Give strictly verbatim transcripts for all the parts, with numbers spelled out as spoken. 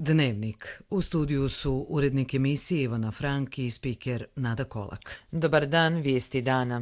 Dnevnik. U studiju su urednik emisije Ivana Frank i spiker Nada Kolak. Dobar dan, vijesti dana.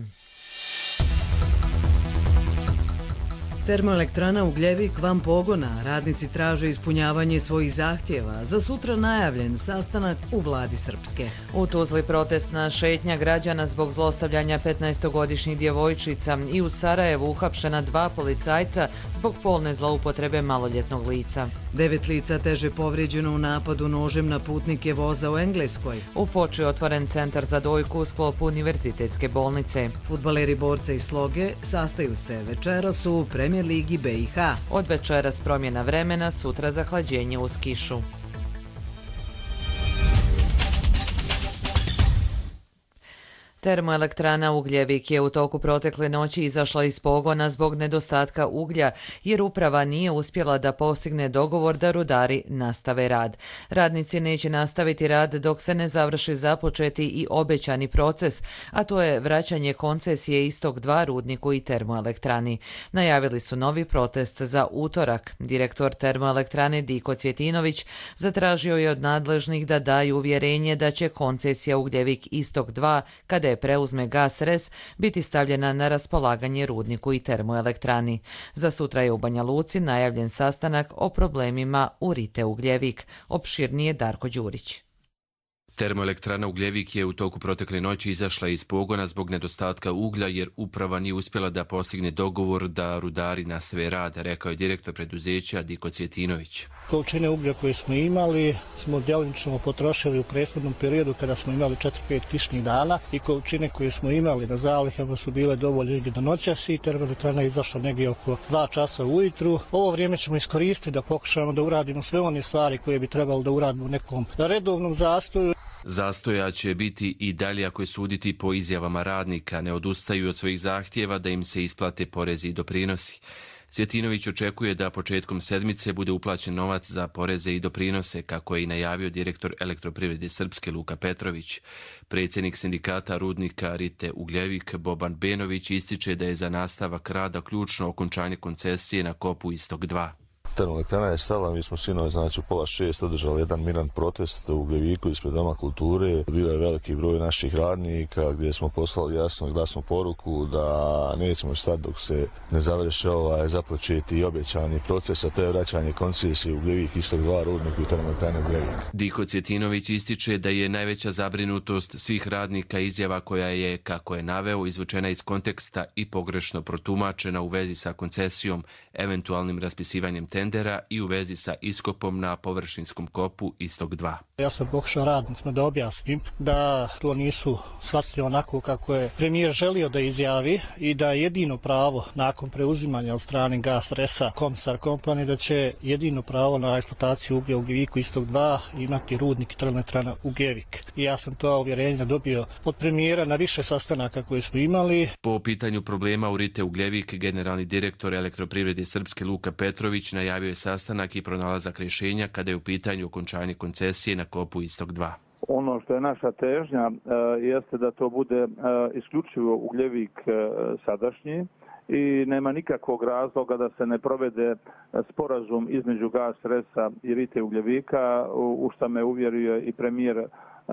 Termoelektrana Ugljevik van pogona. Radnici traže ispunjavanje svojih zahtjeva. Za sutra najavljen sastanak u vladi Srpske. U Tuzli protestna šetnja građana zbog zlostavljanja petnaestogodišnjih djevojčica i u Sarajevu uhapšena dva policajca zbog polne zloupotrebe maloljetnog lica. Devet lica teže povrijeđeno u napadu nožem na putnike voza u Engleskoj. U Foči otvoren centar za dojku u sklopu univerzitetske bolnice. Fudbaleri Borca i Sloge sastaju se večeras u Premijer ligi B i H. Od večeras promjena vremena, sutra zahlađenje uz kišu. Termoelektrana Ugljevik je u toku protekle noći izašla iz pogona zbog nedostatka uglja, jer uprava nije uspjela da postigne dogovor da rudari nastave rad. Radnici neće nastaviti rad dok se ne završi započeti i obećani proces, a to je vraćanje koncesije Istok dva rudniku i termoelektrani. Najavili su novi protest za utorak. Direktor termoelektrane Diko Cvjetinović zatražio je od nadležnih da daju uvjerenje da će koncesija Ugljevik Istok dva, kada je preuzme Gas Res, biti stavljena na raspolaganje rudniku i termoelektrani. Za sutra je u Banja Luci najavljen sastanak o problemima u Rite Ugljevik. Opširnije Darko Đurić. Termoelektrana Ugljevik je u toku protekle noći izašla iz pogona zbog nedostatka uglja jer uprava nije uspjela da postigne dogovor da rudari nastave rad, rekao je direktor preduzeća Diko Cvjetinović. Količine uglja koje smo imali smo djelomično potrošili u prethodnom periodu kada smo imali četiri pet kišnih dana i količine koje smo imali na zalihama su bile dovoljne do noćas i termoelektrana je izašla negdje oko dva časa ujutru. Ovo vrijeme ćemo iskoristiti da pokušamo da uradimo sve one stvari koje bi trebalo da uradimo u nekom redovnom zastoju. Zastoja će biti i dalje ako je suditi po izjavama radnika, ne odustaju od svojih zahtjeva da im se isplate porezi i doprinosi. Cvjetinović očekuje da početkom sedmice bude uplaćen novac za poreze i doprinose, kako je i najavio direktor Elektroprivrede Srpske Luka Petrović. Predsjednik sindikata rudnika Rite Ugljevik Boban Benović ističe da je za nastavak rada ključno okončanje koncesije na kopu Istok dva. Termoelektrana je stala, mi smo sinoć, znači u pola šest održali jedan miran protest u Ugljeviku ispred Doma kulture. Bio je veliki broj naših radnika gdje smo poslali jasnu i glasnu poruku da nećemo stati dok se ne završi ovaj započeti i obećani proces, a to je vraćanje koncesije u Ugljevik Istok dva rudniku i termoelektrane Ugljevik. Diko Cvjetinović ističe da je najveća zabrinutost svih radnika izjava koja je, kako je naveo, izvučena iz konteksta i pogrešno protumačena u vezi sa koncesijom, eventualnim raspisivanjem tendera i u vezi sa iskopom na površinskom kopu Istok dva. Ja sam pokušao radnicima da objasnim da to nisu shvatili onako kako je premijer želio da izjavi i da jedino pravo nakon preuzimanja od strane Gas Resa Komisar Kompani da će jedino pravo na eksploataciju uglja u Ugljeviku Istok dva imati rudnik i termoelektrana Ugljevik. I ja sam to uvjerenje dobio od premijera na više sastanaka koje smo imali. Po pitanju problema u Rite Ugljevik, generalni direktor Elektroprivrede Srpske Luka Petrović najavio je sastanak i pronalazak rješenja kada je u pitanju okončanje koncesije na kopu Istok dva. Ono što je naša težnja e, jeste da to bude e, isključivo Ugljevik e, sadašnji i nema nikakvog razloga da se ne provede sporazum između Gas Resa i Rite Ugljevika, u što me uvjerio i premijer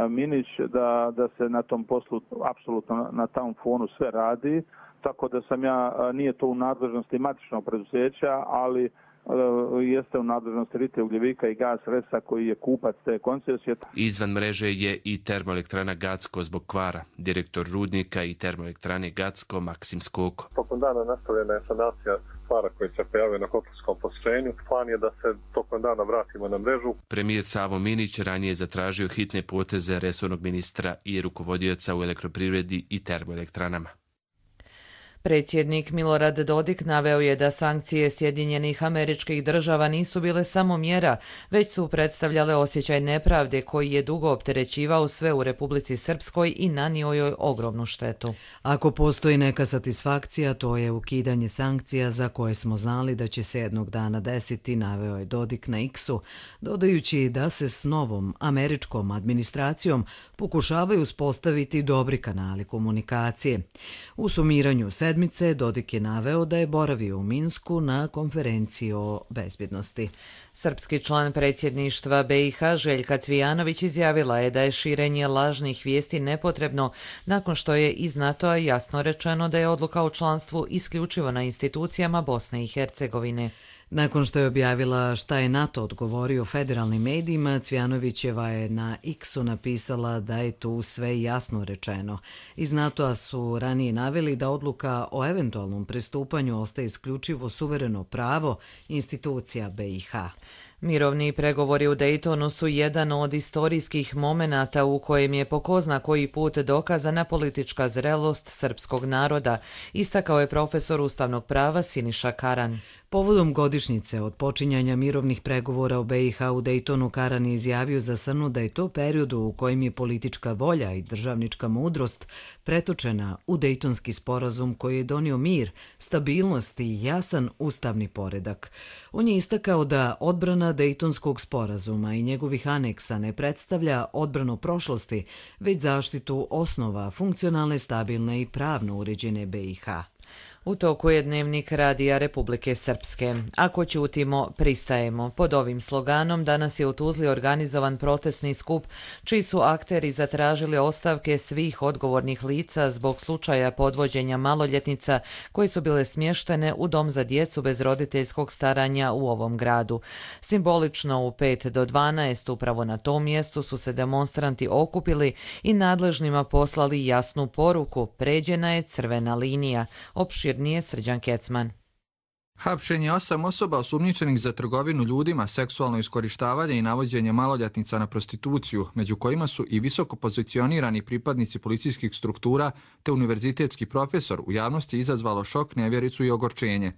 Minić da, da se na tom poslu apsolutno na tom fonu sve radi. Tako da sam ja, nije to u nadležnosti matičnog preduzeća, ali jeste u nadležnosti Rite Ugljevika i Gas Resa koji je kupac te koncesije. Izvan mreže je i termoelektrana Gacko zbog kvara. Direktor rudnika i termoelektrane Gacko Maksim Skoko. Tokom dana nastavljena je sanacija kvara koji se pojavio na kotlskom postrojenju. Plan je da se tokom dana vratimo na mrežu. Premijer Savo Minić ranije je zatražio hitne poteze resornog ministra i rukovodioca u elektroprivredi i termoelektranama. Predsjednik Milorad Dodik naveo je da sankcije Sjedinjenih Američkih Država nisu bile samo mjera, već su predstavljale osjećaj nepravde koji je dugo opterećivao sve u Republici Srpskoj i nanio joj ogromnu štetu. Ako postoji neka satisfakcija, to je ukidanje sankcija za koje smo znali da će se jednog dana desiti, naveo je Dodik na X-u, dodajući da se s novom američkom administracijom pokušavaju uspostaviti dobri kanali komunikacije. U sumiranju sedam sedmice Dodik je naveo da je boravio u Minsku na konferenciji o bezbjednosti. Srpski član predsjedništva B i H Željka Cvijanović izjavila je da je širenje lažnih vijesti nepotrebno nakon što je iz NATO-a jasno rečeno da je odluka o članstvu isključivo na institucijama Bosne i Hercegovine. Nakon što je objavila šta je NATO odgovorio federalnim medijima, Cvijanovićeva je na X-u napisala da je tu sve jasno rečeno. Iz NATO-a su ranije naveli da odluka o eventualnom pristupanju ostaje isključivo suvereno pravo institucija B i H. Mirovni pregovori u Daytonu su jedan od istorijskih momenata u kojem je po ko zna koji put dokazana politička zrelost srpskog naroda, istakao je profesor ustavnog prava Siniša Karan. Povodom godišnjice od počinjanja mirovnih pregovora u B i H u Daytonu, Karan je izjavio za S N U da je to period u kojem je politička volja i državnička mudrost pretočena u Dejtonski sporazum koji je donio mir, stabilnost i jasan ustavni poredak. On je istakao da odbrana Dejtonskog sporazuma i njegovih aneksa ne predstavlja odbranu prošlosti, već zaštitu osnova funkcionalne, stabilne i pravno uređene B i H. U toku je dnevnik Radija Republike Srpske. Ako ćutimo, pristajemo. Pod ovim sloganom danas je u Tuzli organizovan protestni skup, čiji su akteri zatražili ostavke svih odgovornih lica zbog slučaja podvođenja maloljetnica koje su bile smještene u dom za djecu bez roditeljskog staranja u ovom gradu. Simbolično u pet do dvanaest upravo na tom mjestu su se demonstranti okupili i nadležnima poslali jasnu poruku: pređena je crvena linija. Opširnije Srđan Kecman. Hapšenje osam osoba osumnjičenih za trgovinu ljudima, seksualno iskorištavanje i navođenje maloljetnica na prostituciju, među kojima su i visoko pozicionirani pripadnici policijskih struktura te univerzitetski profesor, u javnosti izazvalo šok, nevjericu i ogorčenje.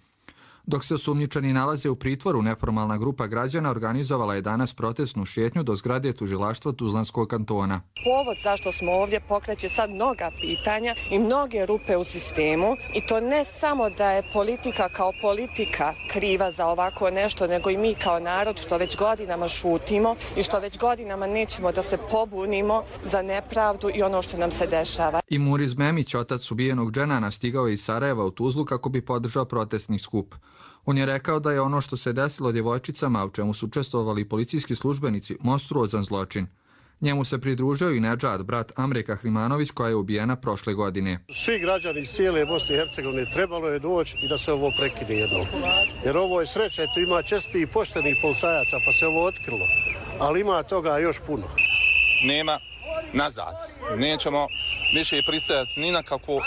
Dok se osumnjičeni nalaze u pritvoru, neformalna grupa građana organizovala je danas protestnu šetnju do zgrade tužilaštva Tuzlanskog kantona. Povod zašto smo ovdje pokreće sad mnoga pitanja i mnoge rupe u sistemu, i to ne samo da je politika kao politika kriva za ovako nešto, nego i mi kao narod što već godinama šutimo i što već godinama nećemo da se pobunimo za nepravdu i ono što nam se dešava. I Muriz Memić, otac ubijenog Dženana, stigao je iz Sarajeva u Tuzlu kako bi podržao protestni skup. On je rekao da je ono što se desilo djevojčicama, u čemu su učestvovali policijski službenici, monstruozan zločin. Njemu se pridružio i Nedžad, brat Amre Kahrimanović, koja je ubijena prošle godine. Svi građani iz cijele Bosne i Hercegovine trebalo je doći i da se ovo prekine jednom. Jer ovo je sreća, tu ima česti i poštenih policajaca, pa se ovo otkrilo. Ali ima toga još puno. Nema nazad. Nećemo više pristajati ni na kakvu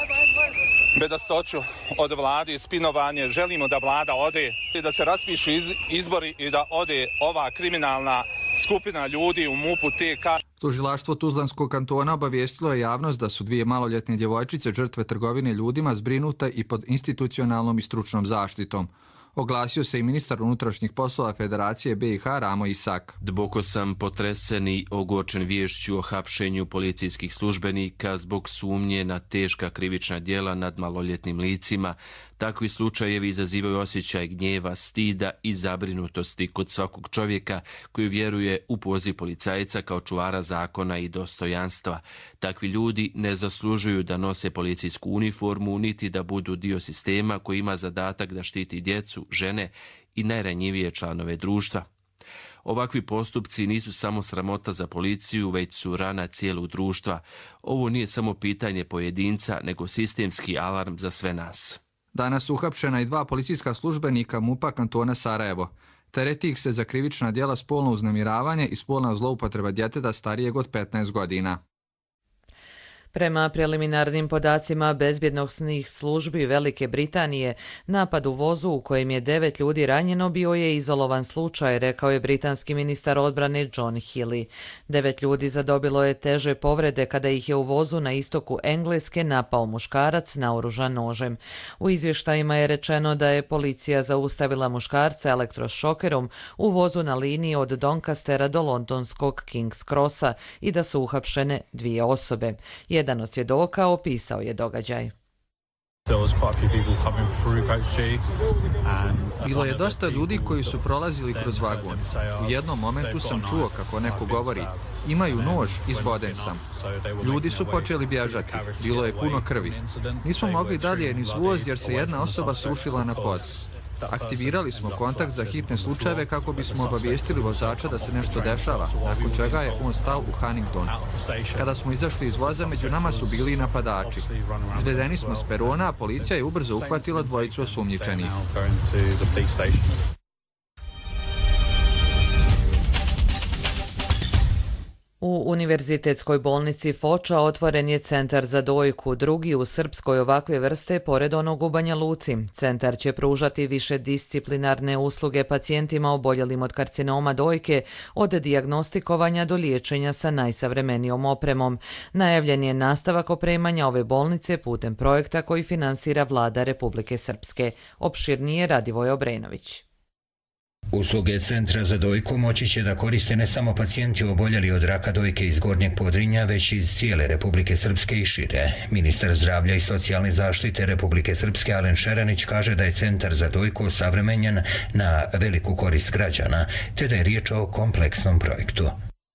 bedastoću od vlade i spinovanje. Želimo da vlada ode i da se raspišu iz, izbori i da ode ova kriminalna skupina ljudi u MUP-u T K. Tužilaštvo Tuzlanskog kantona obavijestilo je javnost da su dvije maloljetne djevojčice žrtve trgovine ljudima zbrinute i pod institucionalnom i stručnom zaštitom. Oglasio se i ministar unutrašnjih poslova Federacije B i H Ramo Isak. Duboko sam potresen i ogorčen viješću o hapšenju policijskih službenika zbog sumnje na teška krivična djela nad maloljetnim licima. Takvi slučajevi izazivaju osjećaj gnjeva, stida i zabrinutosti kod svakog čovjeka koji vjeruje u poziv policajca kao čuvara zakona i dostojanstva. Takvi ljudi ne zaslužuju da nose policijsku uniformu niti da budu dio sistema koji ima zadatak da štiti djecu, žene i najranjivije članove društva. Ovakvi postupci nisu samo sramota za policiju, već su rana cijelog društva. Ovo nije samo pitanje pojedinca, nego sistemski alarm za sve nas. Danas su uhapšena i dva policijska službenika MUP-a kantona Sarajevo. Tereti ih se za krivična djela spolno uznemiravanje i spolna zloupotreba djeteta starijeg od petnaest godina. Prema preliminarnim podacima bezbjednosnih službi Velike Britanije, napad u vozu u kojem je devet ljudi ranjeno bio je izolovan slučaj, rekao je britanski ministar odbrane John Healey. Devet ljudi zadobilo je teže povrede kada ih je u vozu na istoku Engleske napao muškarac naoružan nožem. U izvještajima je rečeno da je policija zaustavila muškarca elektrošokerom u vozu na liniji od Doncastera do londonskog King's Crossa i da su uhapšene dvije osobe. Jedan od svjedoka opisao je događaj. Bilo je dosta ljudi koji su prolazili kroz vagon. U jednom momentu sam čuo kako neko govori: imaju nož, izboden sam. Ljudi su počeli bježati. Bilo je puno krvi. Nismo mogli dalje niz voz jer se jedna osoba srušila na pod. Aktivirali smo kontakt za hitne slučajeve kako bismo obavijestili vozača da se nešto dešava, nakon čega je on stao u Huntington. Kada smo izašli iz voza, među nama su bili i napadači. Izvedeni smo s perona, a policija je ubrzo uhvatila dvojicu osumnjičenih. U Univerzitetskoj bolnici Foča otvoren je centar za dojku, drugi u Srpskoj ovakve vrste pored onog u Banja Luci. Centar će pružati više disciplinarne usluge pacijentima oboljelim od karcinoma dojke, od dijagnostikovanja do liječenja sa najsavremenijom opremom. Najavljen je nastavak opremanja ove bolnice putem projekta koji finansira vlada Republike Srpske. Opširnije Radivoj Obrenović. Usluge Centra za dojku moći će da koriste ne samo pacijenti oboljeli od raka dojke iz Gornjeg Podrinja, već iz cijele Republike Srpske i šire. Ministar zdravlja i socijalne zaštite Republike Srpske Alen Šeranić kaže da je Centar za dojku savremenjen na veliku korist građana, te da je riječ o kompleksnom projektu.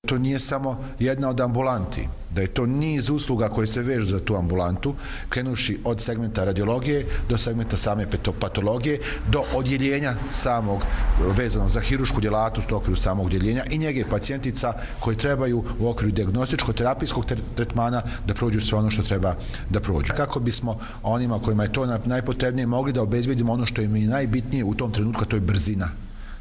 To nije samo jedna od ambulanti, da je to niz usluga koje se vežu za tu ambulantu, krenuši od segmenta radiologije do segmenta same patologije, do odjeljenja samog vezanog za hirušku djelatnost u okviru samog odjeljenja i njege pacijentica koji trebaju u okviru dijagnostičko-terapijskog tretmana da prođu sve ono što treba da prođu. Kako bismo onima kojima je to najpotrebnije mogli da obezbedimo ono što im je najbitnije u tom trenutku, to je brzina.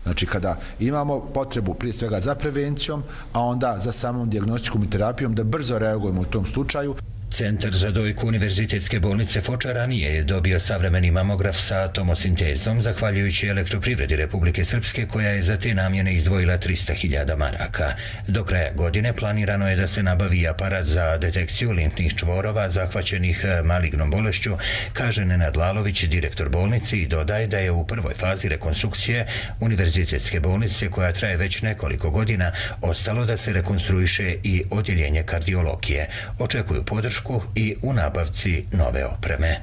Znači, kada imamo potrebu prije svega za prevencijom, a onda za samom dijagnostikom i terapijom, da brzo reagujemo u tom slučaju. Centar za dojku Univerzitetske bolnice Foča ranije je dobio savremeni mamograf sa tomosintezom, zahvaljujući Elektroprivredi Republike Srpske, koja je za te namjene izdvojila trista hiljada maraka. Do kraja godine planirano je da se nabavi aparat za detekciju limfnih čvorova zahvaćenih malignom bolešću, kaže Nenad Lalović, direktor bolnice, i dodaje da je u prvoj fazi rekonstrukcije Univerzitetske bolnice, koja traje već nekoliko godina, ostalo da se rekonstruiše i odjeljenje kardiologije. Očekuju podršku i u nabavci nove opreme.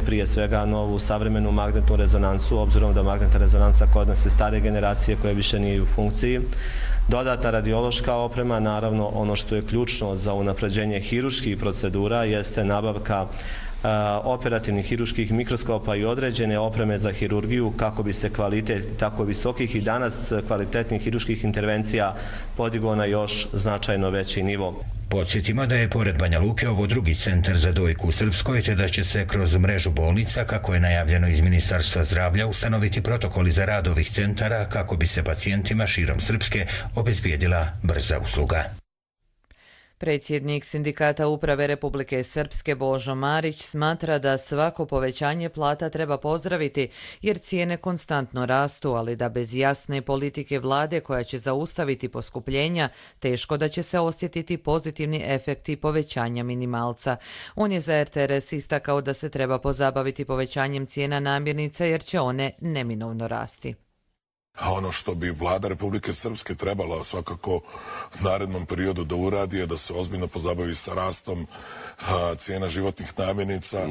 Prije svega novu savremenu magnetnu rezonansu, obzirom da magnetna rezonansa kod nas je stare generacije koja više nije u funkciji. Dodatna radiološka oprema, naravno ono što je ključno za unapređenje hiruških procedura jeste nabavka operativnih hiruških mikroskopa i određene opreme za hirurgiju kako bi se kvalitet tako visokih i danas kvalitetnih hiruških intervencija podigao na još značajno veći nivo. Podsjetimo da je pored Banja Luke ovo drugi centar za dojku u Srpskoj, te da će se kroz mrežu bolnica, kako je najavljeno iz Ministarstva zdravlja, ustanoviti protokoli za rad ovih centara kako bi se pacijentima širom Srpske obezbijedila brza usluga. Predsjednik Sindikata uprave Republike Srpske Božo Marić smatra da svako povećanje plata treba pozdraviti jer cijene konstantno rastu, ali da bez jasne politike vlade koja će zaustaviti poskupljenja, teško da će se osjetiti pozitivni efekti povećanja minimalca. On je za R T R S istakao da se treba pozabaviti povećanjem cijena namirnica jer će one neminovno rasti. A ono što bi vlada Republike Srpske trebala svakako u narednom periodu da uradi je da se ozbiljno pozabavi sa rastom a, cijena životnih namirnica,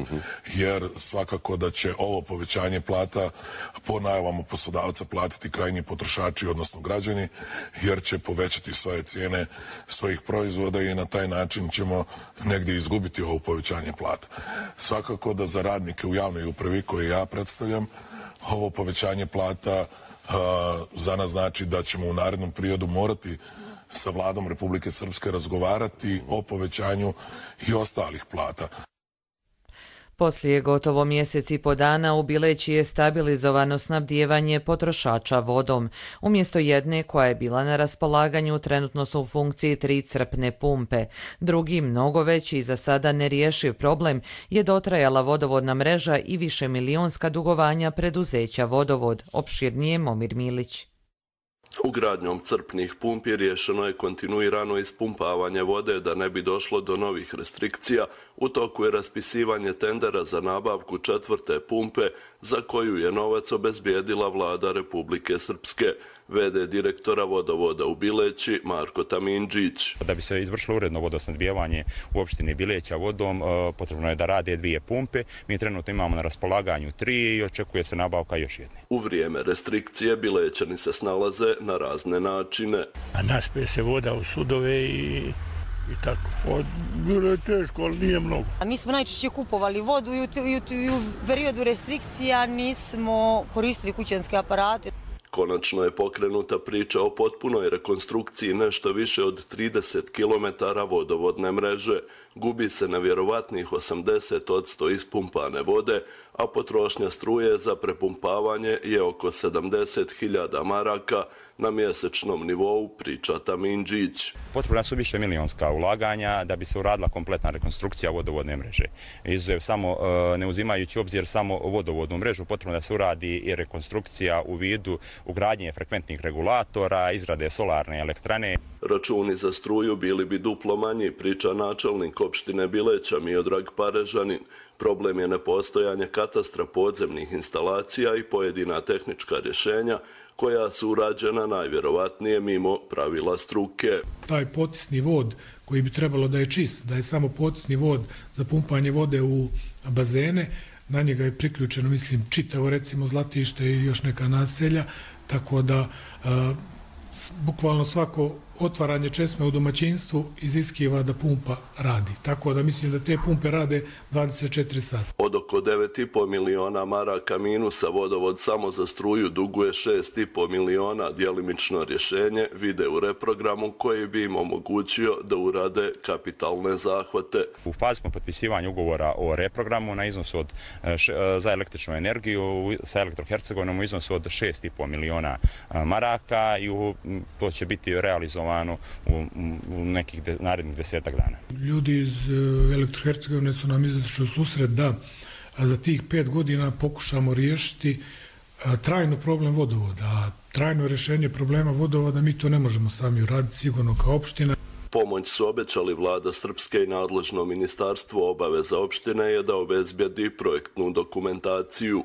jer svakako da će ovo povećanje plata po najavama poslodavca platiti krajnji potrošači, odnosno građani, jer će povećati svoje cijene svojih proizvoda i na taj način ćemo negdje izgubiti ovo povećanje plata. Svakako da za radnike u javnoj upravi koje ja predstavljam, ovo povećanje plata za nas znači da ćemo u narednom periodu morati sa vladom Republike Srpske razgovarati o povećanju i ostalih plata. Poslije gotovo mjesec i po dana u Bileći je stabilizovano snabdijevanje potrošača vodom. Umjesto jedne koja je bila na raspolaganju, trenutno su u funkciji tri crpne pumpe. Drugi, mnogo veći i za sada nerješiv problem, je dotrajala vodovodna mreža i više milionska dugovanja preduzeća Vodovod. Opširnije Momir Milić. Ugradnjom crpnih pumpi rješeno je kontinuirano ispumpavanje vode da ne bi došlo do novih restrikcija. U toku je raspisivanje tendera za nabavku četvrte pumpe za koju je novac obezbijedila vlada Republike Srpske. V D direktora vodovoda u Bileći Marko Tamindžić. Da bi se izvršilo uredno vodosnabdijevanje u opštini Bileća vodom, potrebno je da rade dvije pumpe. Mi trenutno imamo na raspolaganju tri i očekuje se nabavka još jedne. U vrijeme restrikcije Bilećani se snalaze na razne načine. A naspe se voda u sudove i, i tako. O, bilo je teško, ali nije mnogo. A mi smo najčešće kupovali vodu i u, i u, i u periodu restrikcija nismo koristili kućanske aparate. Konačno je pokrenuta priča o potpunoj rekonstrukciji nešto više od trideset kilometara vodovodne mreže. Gubi se nevjerovatnih osamdeset posto ispumpane vode, a potrošnja struje za prepumpavanje je oko sedamdeset hiljada maraka na mjesečnom nivou, priča Tamindžić. Potrebna su više milionska ulaganja da bi se uradila kompletna rekonstrukcija vodovodne mreže. Izuzev samo, ne uzimajući obzir samo vodovodnu mrežu, potrebno da se uradi i rekonstrukcija u vidu ugradnje frekventnih regulatora, izrade solarne elektrane. Računi za struju bili bi duplo manji, priča načelnik opštine Bileća Miodrag Parežanin. Problem je nepostojanje katastra podzemnih instalacija i pojedina tehnička rješenja koja su urađena najvjerovatnije mimo pravila struke. Taj potisni vod koji bi trebalo da je čist, da je samo potisni vod za pumpanje vode u bazene, na njega je priključeno, mislim, čitavo recimo Zlatište i još neka naselja, tako da a, bukvalno svako otvaranje česme u domaćinstvu iziskiva da pumpa radi. Tako da mislim da te pumpe rade dvadeset četiri sata. Od oko devet i po miliona maraka minusa vodovod samo za struju duguje šest i po miliona. Djelimično rješenje vide u reprogramu koji bi im omogućio da urade kapitalne zahvate. U fazi smo potpisivanja ugovora o reprogramu na iznosu od, za električnu energiju sa Elektrohercegovinom u iznosu od šest i po miliona maraka i u, to će biti realizovano u, u nekih de, narednih desetak dana. Ljudi iz Elektrohercegovine su nam izašli u susret da za tih pet godina pokušamo riješiti trajno problem vodovoda. A trajno rješenje problema vodovoda mi to ne možemo sami uraditi sigurno kao opština. Pomoć su obećali vlada Srpske i nadležno ministarstvo. Obaveza opštine je da obezbijedi projektnu dokumentaciju.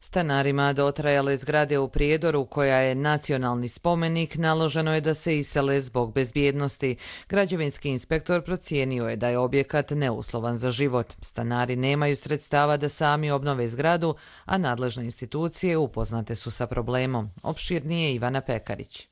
Stanarima dotrajale zgrade u Prijedoru, koja je nacionalni spomenik, naloženo je da se isele zbog bezbjednosti. Građevinski inspektor procijenio je da je objekat neuslovan za život. Stanari nemaju sredstava da sami obnove zgradu, a nadležne institucije upoznate su sa problemom. Opširnije Ivana Pekarić.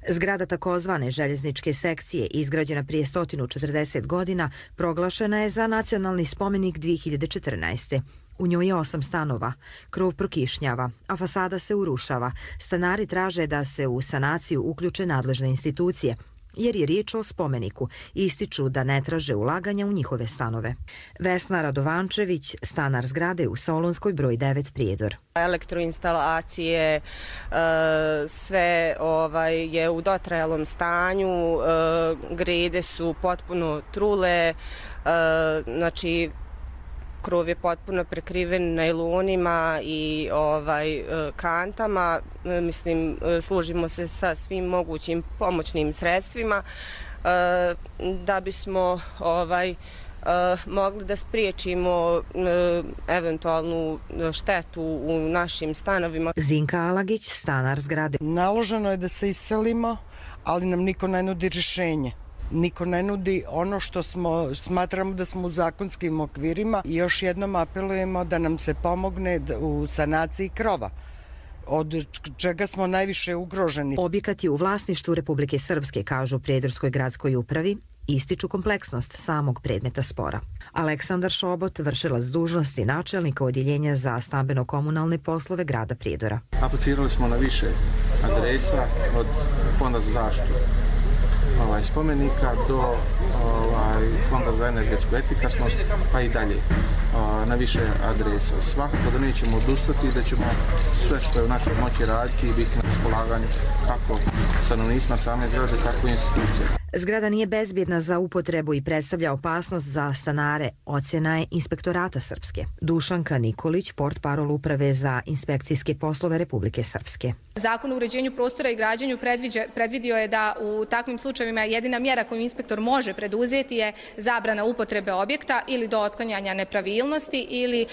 Zgrada takozvane željezničke sekcije, izgrađena prije sto četrdeset godina, proglašena je za nacionalni spomenik dvije hiljade četrnaeste. U njoj je osam stanova, krov prokišnjava, a fasada se urušava. Stanari traže da se u sanaciju uključe nadležne institucije, jer je riječ o spomeniku i ističu da ne traže ulaganja u njihove stanove. Vesna Radovančević, stanar zgrade u Solunskoj broj devet Prijedor. Elektroinstalacije, sve ovaj, je u dotrajalom stanju, grede su potpuno trule, znači krov je potpuno prekriven najlonima i ovaj kantama. Mislim, služimo se sa svim mogućim pomoćnim sredstvima da bismo ovaj mogli da spriječimo eventualnu štetu u našim stanovima. Zinka Alagić, stanar zgrade. Naloženo je da se iselimo, ali nam niko ne nudi rješenje. Niko ne nudi ono što smo, smatramo da smo u zakonskim okvirima i još jednom apelujemo da nam se pomogne u sanaciji krova, od čega smo najviše ugroženi. Objekat je u vlasništvu Republike Srpske, kažu Prijedorskoj gradskoj upravi, ističu kompleksnost samog predmeta spora. Aleksandar Šobot, vršilac dužnosti načelnika odjeljenja za stambeno-komunalne poslove grada Prijedora. Aplicirali smo na više adresa, od Fonda za zaštitu ovaj, spomenika do ovaj, Fonda za energetsku efikasnost, pa i dalje ovaj, na više adresa. Svakako da nećemo odustati i da ćemo sve što je u našoj moći raditi i biti na raspolaganju kako stanovnicima same zgrade, tako i institucije. Zgrada nije bezbjedna za upotrebu i predstavlja opasnost za stanare, ocjena je Inspektorata Srpske. Dušanka Nikolić, portparol Uprave za inspekcijske poslove Republike Srpske. Zakon o uređenju prostora i građenju predvidio je da u takvim slučajevima jedina mjera koju inspektor može preduzeti je zabrana upotrebe objekta ili do otklanjanja nepravilnosti ili e,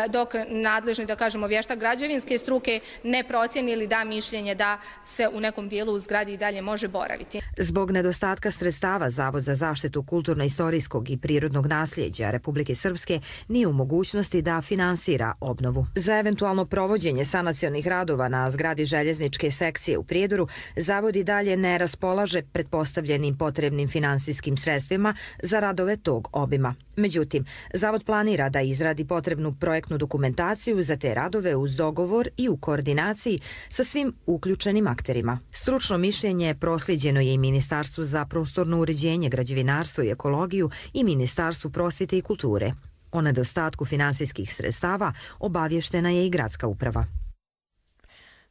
dok nadležni, da kažemo, vještak građevinske struke ne procjeni ili da mišljenje da se u nekom dijelu u zgradi i dalje može boraviti. Zbog nedostatka sredstava, Zavod za zaštitu kulturno-istorijskog i prirodnog nasljeđa Republike Srpske nije u mogućnosti da finansira obnovu. Za eventualno provođenje sanacionih radova na zgradi željezničke sekcije u Prijedoru, Zavod i dalje ne raspolaže pretpostavljenim potrebnim finansijskim sredstvima za radove tog obima. Međutim, Zavod planira da izradi potrebnu projektnu dokumentaciju za te radove uz dogovor i u koordinaciji sa svim uključenim akterima. Stručno mišljenje prosljeđeno je i Ministarstvu za prostorno uređenje, građevinarstvo i ekologiju i Ministarstvu prosvjete i kulture. O nedostatku finansijskih sredstava obavještena je i gradska uprava.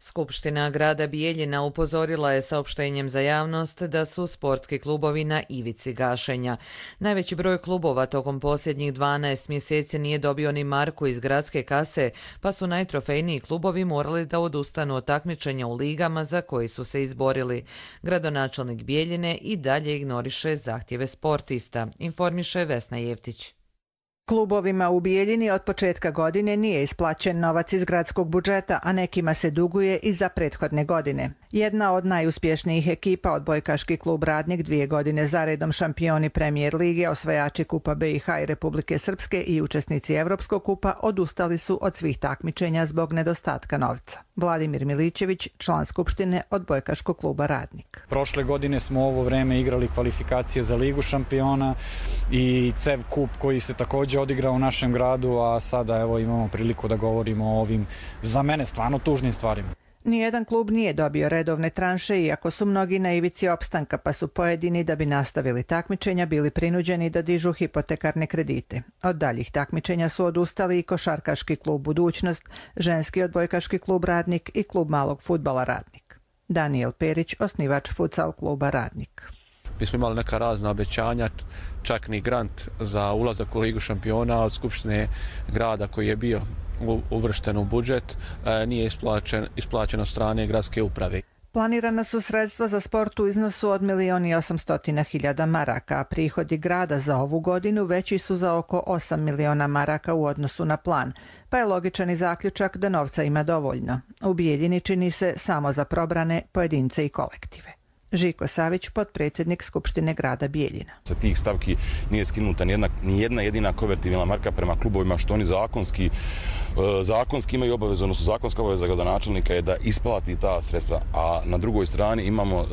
Skupština grada Bijeljina upozorila je saopštenjem za javnost da su sportski klubovi na ivici gašenja. Najveći broj klubova tokom posljednjih dvanaest mjeseci nije dobio ni marku iz gradske kase, pa su najtrofejniji klubovi morali da odustanu od takmičenja u ligama za koji su se izborili. Gradonačelnik Bijeljine i dalje ignoriše zahtjeve sportista, informiše Vesna Jevtić. Klubovima u Bijeljini od početka godine nije isplaćen novac iz gradskog budžeta, a nekima se duguje i za prethodne godine. Jedna od najuspješnijih ekipa, odbojkaški klub Radnik, dvije godine zaredom šampioni Premijer lige, osvajači Kupa B i H i Republike Srpske i učesnici Evropskog kupa, odustali su od svih takmičenja zbog nedostatka novca. Vladimir Milićević, član Skupštine odbojkaškog kluba Radnik. Prošle godine smo ovo vreme igrali kvalifikacije za Ligu šampiona i C E V kup koji se također odigrao u našem gradu, a sada evo imamo priliku da govorimo o ovim, za mene, stvarno tužnim stvarima. Nijedan klub nije dobio redovne tranše, iako su mnogi na ivici opstanka, pa su pojedini, da bi nastavili takmičenja, bili prinuđeni da dižu hipotekarne kredite. Od daljih takmičenja su odustali i košarkaški klub Budućnost, ženski odbojkaški klub Radnik i klub malog fudbala Radnik. Daniel Perić, osnivač futsal kluba Radnik. Mi smo imali neka razna obećanja, čak ni grant za ulazak u Ligu šampiona od Skupštine grada koji je bio uvršten u budžet, nije isplaćen, isplaćen od strane gradske uprave. Planirana su sredstva za sport u iznosu od milion i osamstotina hiljada maraka, a prihodi grada za ovu godinu veći su za oko osam miliona maraka u odnosu na plan, pa je logičan i zaključak da novca ima dovoljno. U Bijeljini čini se samo za probrane pojedince i kolektive. Žiko Savić, potpredsjednik Skupštine grada Bijeljina. Sa tih stavki nije skinuta ni jedna, ni jedna jedina konvertibilna marka prema klubovima, što oni zakonski, zakonski imaju obavezu, odnosno zakonska obaveza gradonačelnika je da isplati ta sredstva, a na drugoj strani imamo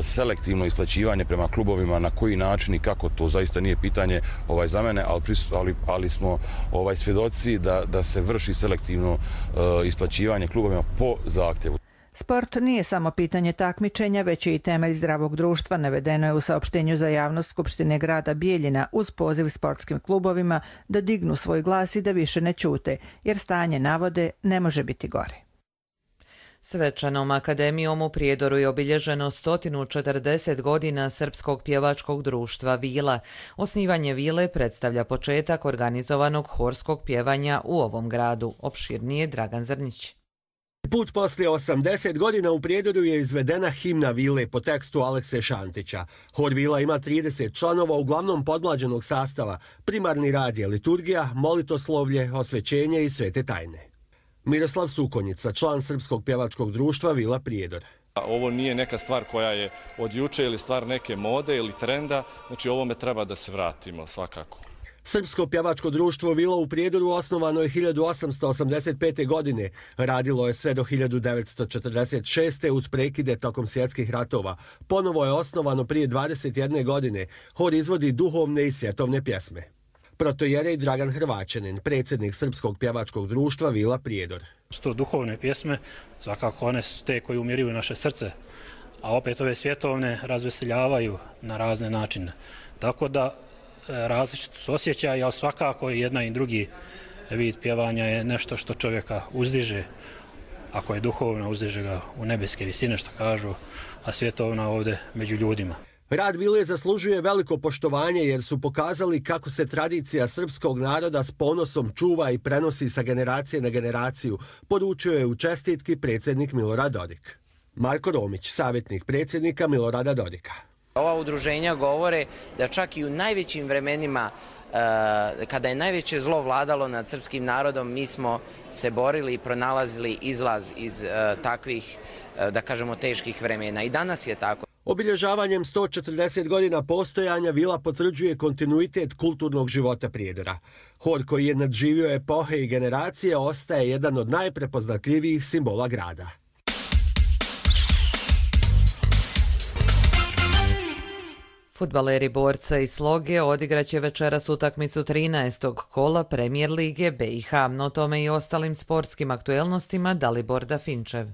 selektivno isplaćivanje prema klubovima, na koji način i kako, to zaista nije pitanje ovaj, za mene, ali, ali, ali smo ovaj, svjedoci da, da se vrši selektivno isplaćivanje klubovima po zahtjevu. Sport nije samo pitanje takmičenja, već je i temelj zdravog društva, navedeno je u saopštenju za javnost Skupštine grada Bijeljina uz poziv sportskim klubovima da dignu svoj glas i da više ne ćute, jer stanje, navode, ne može biti gore. Svečanom akademijom u Prijedoru je obilježeno sto četrdeset godina Srpskog pjevačkog društva Vila. Osnivanje Vile predstavlja početak organizovanog horskog pjevanja u ovom gradu. Opširnije Dragan Zrnić. Put poslije osamdeset godina u Prijedoru je izvedena himna Vile po tekstu Alekse Šantića. Hor Vila ima trideset članova, uglavnom podmlađenog sastava. Primarni rad je liturgija, molitoslovlje, osvećenje i svete tajne. Miroslav Sukonjica, član Srpskog pjevačkog društva Vila Prijedor. Ovo nije neka stvar koja je od juče ili stvar neke mode ili trenda, znači ovome treba da se vratimo svakako. Srpsko pjevačko društvo Vila u Prijedoru osnovano je hiljadu osamsto osamdeset pete. godine. Radilo je sve do hiljadu devetsto četrdeset šeste. uz prekide tokom svjetskih ratova. Ponovo je osnovano prije dvadeset jedne. godine. Hor izvodi duhovne i svjetovne pjesme. Protojerej Dragan Hrvaćanin, predsjednik Srpskog pjevačkog društva Vila Prijedor. Sto duhovne pjesme, svakako one su te koje umiruju naše srce, a opet ove svjetovne razveseljavaju na razne načine. Tako da različito su osjećaj, ali svakako jedna i drugi vid pjevanja je nešto što čovjeka uzdiže. Ako je duhovna, uzdiže ga u nebeske visine, što kažu, a svjetovna ovdje među ljudima. Rad vile zaslužuje veliko poštovanje jer su pokazali kako se tradicija srpskog naroda s ponosom čuva i prenosi sa generacije na generaciju, poručio je u čestitki predsjednik Milorad Dodik. Marko Romić, savjetnik predsjednika Milorada Dodika. Ova udruženja govore da čak i u najvećim vremenima, kada je najveće zlo vladalo nad srpskim narodom, mi smo se borili i pronalazili izlaz iz takvih, da kažemo, teških vremena. I danas je tako. Obilježavanjem sto četrdeset godina postojanja vila potvrđuje kontinuitet kulturnog života Prijedora. Hor koji je nadživio epohe i generacije ostaje jedan od najprepoznatljivijih simbola grada. Fudbaleri Borca i Sloge odigraće večeras utakmicu trinaestog kola Premijer Lige B i H, no tome i ostalim sportskim aktuelnostima Dalibor Dafinčev.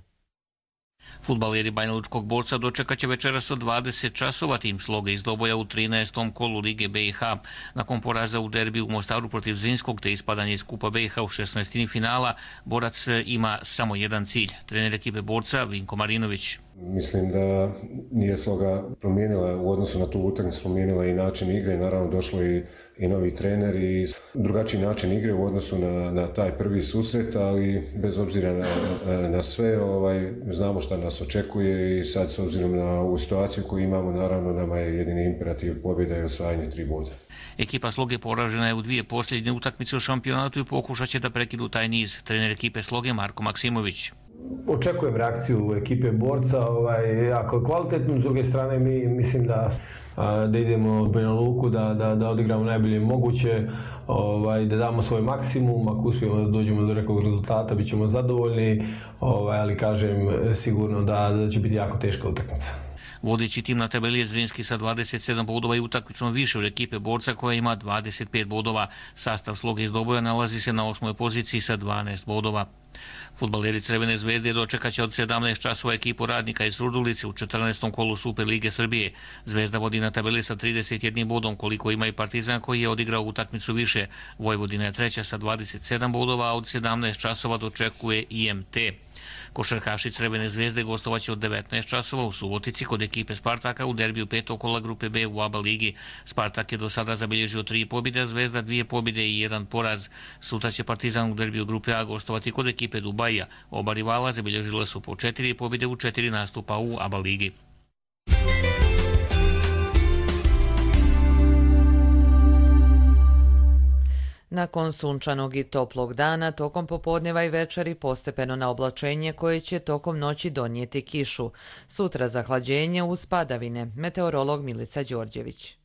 Fudbaleri Banjalučkog Borca dočekaće večeras od dvadeset časova tim Sloge iz Doboja u trinaestom kolu Lige B i H. Nakon poraza u derbiju u Mostaru protiv Zrinskog te ispadanje iz Kupa B i H u šesnaestini finala, Borac ima samo jedan cilj. Trener ekipe Borca Vinko Marinović. Mislim da nije Sloga promijenila u odnosu na tu utakmicu, promijenila i način igre, naravno došlo i, i novi trener i drugačiji način igre u odnosu na, na taj prvi susret, ali bez obzira na, na, na sve ovaj, znamo šta nas očekuje i sad s obzirom na ovu situaciju koju imamo, naravno nama je jedini imperativ pobjeda i osvajanje tri boda. Ekipa Sloge poražena je u dvije posljednje utakmice u šampionatu i pokušat će da prekidu taj niz. Trener ekipe Sloge Marko Maksimović. Očekujem reakciju ekipe Borca, ovaj, jako kvalitetno, s druge strane mi mislim da, da idemo u Banja Luku, da, da, da odigramo najbolje moguće, ovaj, da damo svoj maksimum, ako uspijemo da dođemo do nekog rezultata, bit ćemo zadovoljni, ovaj, ali kažem sigurno da, da će biti jako teška utakmica. Vodeći tim na tabeli je Zrinski sa dvadeset sedam bodova i utakmicom više od ekipe Borca koja ima dvadeset pet bodova. Sastav Sloge iz Doboja nalazi se na osmoj poziciji sa dvanaest bodova. Fudbaleri Crvene zvezde dočekaće od sedamnaest časova ekipu Radnika iz Surdulice u četrnaestom kolu Super Lige Srbije. Zvezda vodi na tabeli sa trideset jednim bodom koliko ima i Partizan koji je odigrao utakmicu više. Vojvodina je treća sa dvadeset sedam bodova, a od sedamnaest časova dočekuje I M T. Košarkaši Crvene zvezde gostovaće od devetnaest časova u Subotici kod ekipe Spartaka u derbiju petog kola grupe B u A B A ligi. Spartak je do sada zabilježio tri pobjede, a Zvezda dvije pobjede i jedan poraz. Sutra će Partizan u derbiju grupe A gostovati kod ekipe Dubaija. Oba rivala zabilježile su po četiri pobjede u četiri nastupa u A B A ligi. Nakon sunčanog i toplog dana, tokom popodneva i večeri postepeno na oblačenje koje će tokom noći donijeti kišu. Sutra zahlađenje uz padavine. Meteorolog Milica Đorđević.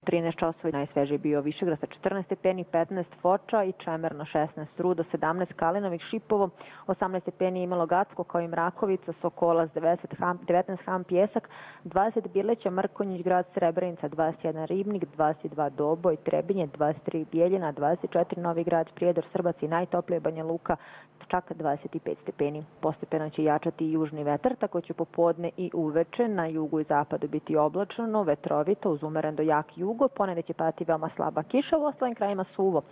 trinaest časova najsvežiji bio Višegrad sa četrnaest stepeni, petnaest Foča i Čemerno šesnaest, Rudo sedamnaest, Kalinovik, Šipovo osamnaest stepeni, imalo Gacko kao i Mrakovica, Sokolac devetnaest, Ham, Pjesak dvadeset, Birleća, Mrkonjić, Grad Srebrenica dvadeset jedan, Ribnik dvadeset dva, Doboj, Trebinje dvadeset tri, Bijeljina dvadeset četiri, Novi Grad, Prijedor, Srbac i najtoplije Banja Luka čak dvadeset pet stepeni. Postepeno će jačati i južni vetar, tako će popodne i uveče na jugu i zapadu biti oblačno, vetrovito uz umeren do jak jugo, ponegde će padati veoma slaba kiša, u ostalim krajima suvo.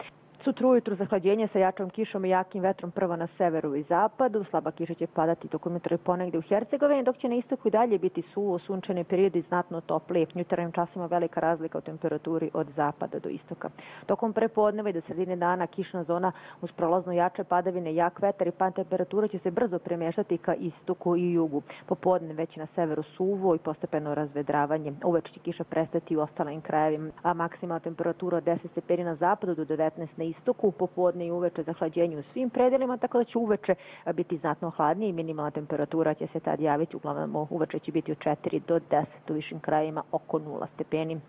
Sutra ujutru zahlađenje sa jačom kišom i jakim vetrom prvo na severu i zapadu. Slaba kiša će padati tokom jutra i ponegde u Hercegovini, dok će na istoku i dalje biti suvo, sunčani period i znatno toplije. U jutarnjim časima velika razlika u temperaturi od zapada do istoka. Tokom prepodneva i do sredine dana kišna zona uz prolazno jače padavine, jak vetar i pad temperatura će se brzo premještati ka istoku i jugu. Popodne već na severu suvo i postepeno razvedravanje. Uveče će kiša prestati u ostalim krajevima, a maksimalna temperatura od deset stepeni na zapadu do devetnaest na istoku, popodne i uveče zahlađenje u svim predelima, tako da će uveče biti znatno hladnije i minimalna temperatura će se tad javiti, uglavnom uveče će biti od četiri do deset, u višim krajima oko nula stepeni.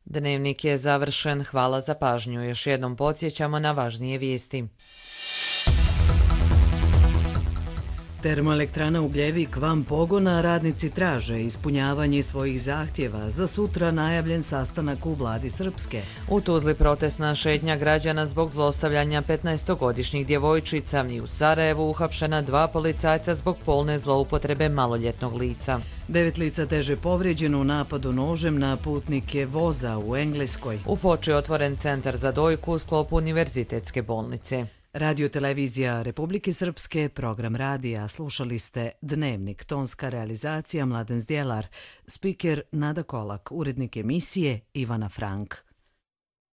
Dnevnik je završen, hvala za pažnju. Još jednom podsjećamo na važnije vijesti. Termoelektrana Ugljevik van pogona, radnici traže ispunjavanje svojih zahtjeva za sutra najavljen sastanak u vladi Srpske. U Tuzli protestna šetnja građana zbog zlostavljanja petnaestogodišnjih djevojčica i u Sarajevu uhapšena dva policajca zbog polne zloupotrebe maloljetnog lica. Devet lica teže povrijeđeno u napadu nožem na putnike voza u Engleskoj. U Foči je otvoren centar za dojku u sklopu univerzitetske bolnice. Radio televizija Republike Srpske, program radija, slušali ste Dnevnik, tonska realizacija Mladen Zdjelar, spiker Nada Kolak, urednik emisije Ivana Frank.